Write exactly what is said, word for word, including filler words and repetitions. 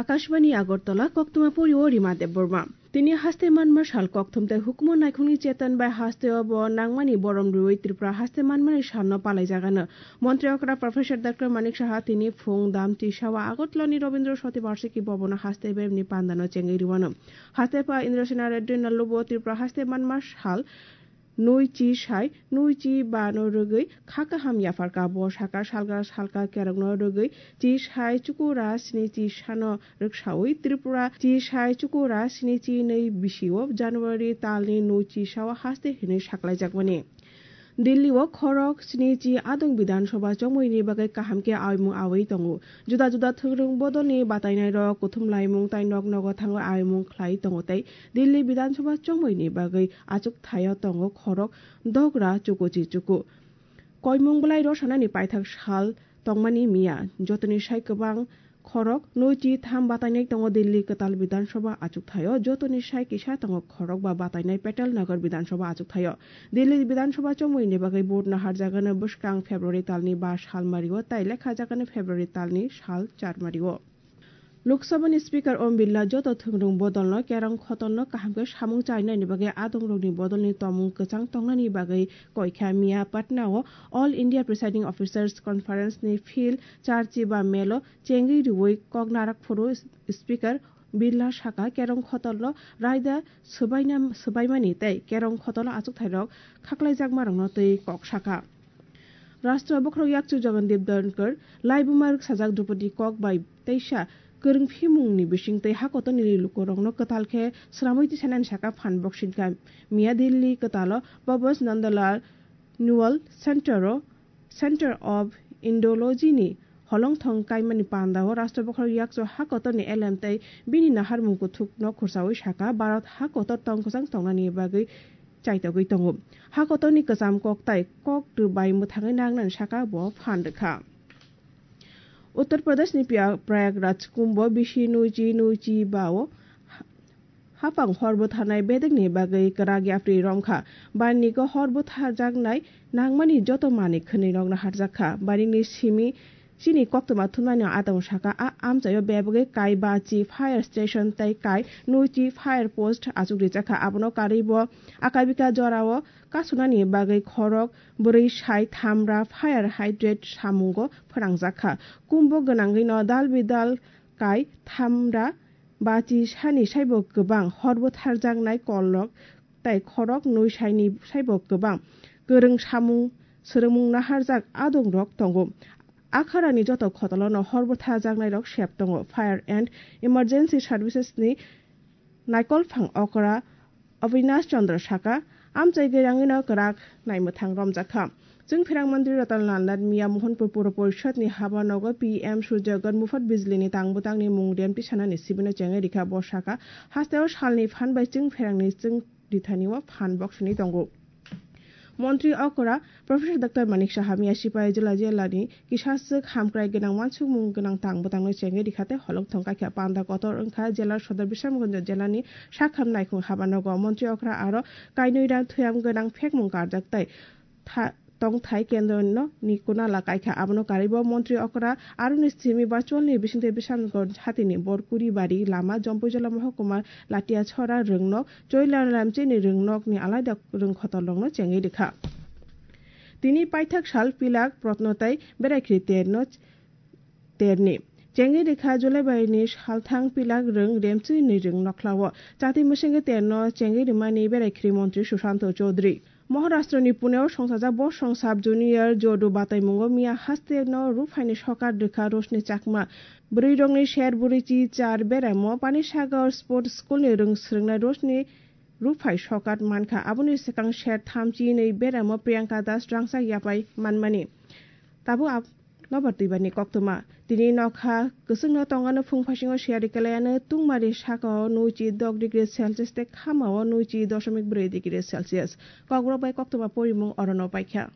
Akashbani Agartala, koktwma pori o Rima Debbarma. Tini haste manma sal kokthum tei hukumu naikhungni chetan bai haste o bo nangmani borom rwui Tripura haste manmani salno palaijagano. Montri okra Professor Doctor Manik Saha tini phung dam tisawa Agartala ni Rabindra Shati Barshiki Bhavan o haste beremni pandano chengwi rwano. Haste pa Indrasena Reddy Nallubo Tripura haste manma sal nui chi sai, nui chi ba no rwgwi kha kaham yapharka. Bo saka salga salka kerokno rwgwi chi sai chukura sni chi sano rwksaui Tripura chi sai chukura sni chi nui bisio January talni nui chi sao haste hinwi saklaijakmani. Delhi o khorok sni chi adong Bidhan Sabha chongmui ni bagwi kaham khe aimung aui tongo. Juda juda thwngrwng bodolni batainairok kuthumlaimung tai nok nogo thangwi aimung khlai tongo tei Delhi Bidhan Sabha chongmui ni bagwi achuk thaio tongo khorok dogra chukuchi chuku. Koimung bwlai rw sanani paithak sal tongmani miya, jotoni sai kwbang khorok nui chi tham batainai tongo Delhi kwtal Bidhan Sabha achuk thaio, jotoni sai kisa tongo khorok ba batainai Patel Nagar Bidhan Sabha achuk thaio. Delhi Bidhan Sabha chongmui ni bagwi vote naharjagano bwskang February talni ba sal mario tai lekha jagano February talni sal char mario. Lok Sabha ni Speaker Om Birla joto thwngrwng bodolno kerong khotolno kaham khe samung chainani bagwi adongrokni bodolni tomung kwchang tongnani bagwi koikha. Miya Patna o All India Presiding Officers Conference ni field charchi ba melo chengwi rwui kok narak phuru Speaker Birla saka kerong khotolno raida swbaina-, swbaimani tei kerong khotolo achukthairok khaklaijakmarokno twi kok saka. Rashtra bokhorok yakchu Jagandeep Dhankhar, laibuma rwksajak Drupadi kok bai teisa kwrwngphimungni bisingtwi hakotorni lukurokno kwtal khe sramwi tisanani saka phan boksingkha. Miya Delhi kwtalo Babas Nandalal Newell Center o Center of Indology ni holongthong kaimani pandao Rashtra bokhorok yakchu hakotorni elem tei bini naharmung kuthukno khursaui saka, Bharat hakotor tongkwchang tongnani bagwi chaitogwi tongo. Hakotorni kwcham kok tai kok rwbai mwthangwi nangnani saka bo phan rwkha. Uttar Pradeshni Pia-, Prayagraj Kumbh bisi nuichi nuichi bao hapang hor bwtharnai bedekni bagwi kwrak yapri romkha. Barniko hor bwtharjaknai nangmani joto manwi khwnwi nokno harjakha. Barikni simi Chini koktwma thumnani adong saka a amchaio bebagwi kai bachi fire station tei kai nuichi fire post achuk rijakha. Abono karwi bo akabika jorao kasunani bagwi khorok bwrwi sai thamra fire hydrant samungo phwnangjakha. Kumbo gwnangwino dal bidal kai thamra bachi sani saibo kwbang hor bwtharjaknai kolrok tei khorok nui saini saibo kwbang kwrwng samung swrwngmung naharjak adongrok tongo. Akharani joto khotolono hor bwtharjaknairok sep tongo. Fire and Emergency Services ni naikolphang okra Avinash Chandra saka, amchai gwi rangwino kwrak naimwthang romjakha. Chwngpherang Mantri Ratan Lal Nath miya Mohanpur Puro Porishad ni haba nogo P M Surya Ghar Mufat Bijli ni tang bwtang ni mung rem tisanani sibino chengwi rikha. Bo saka, hasteo salni phan bai chwngpherangni chwng rithani o phan boksini tongo. Montri okra Professor Doctor Manik Saha miya Sipai Jila jilani kisaswk hamkrai gwnang wansukmung gwnang tang bwtangno chengwi rikha tei holongthong kaikha. Panda kotor wngkha jela sodor Bisramganj jelani sakham naikhung haba nogo. Montri okra aro kainwi rang thuyam gwnang phekmung karjak tei tha-, tongthai kendro no ni kunala kaikha. Abono karwi bo montri okra aroni simi virtual ni bisingtwi Bisramganj hatini Borkuri bari lama Jompuijala mohokuma Latiachora rwngnok Choilalamchini rwngnokni alaida rwngkhotorrokno chengwi rikha. Tini paithak sal pilak protno tei beraikhri terno terni. Chengwi rikha July baini salthang pilak rwng remchwini rwng nokhlao. Chati mwswngwi terno chengwi rwmani beraikhri montri Sushanto Chaudhary. Maharashtrani Pune o songchajak Bosong Sub Junior Judo bataimungo miya hasteno ruphaini sokar rwkha Roshni Chakma. Bwrwirokni ser bwrwi chi char beramo Panisagar Sports School ni rwng swrwngnai Roshni ruphai sokar mankha. Aboni swkang ser tham chi nwi beramo Priyanka Das rangchak yapai manmani. Tabuk ab-, Nobar twibani koktwma. Tini nokha kwchwngno tongano phung phasingo siyari kelayano tungmari sakao nuichi dok degree Celsius tei khamao nuichi dosomik bwrwi degree Celsius. Kokrok bai koktwma porimung orono paikha.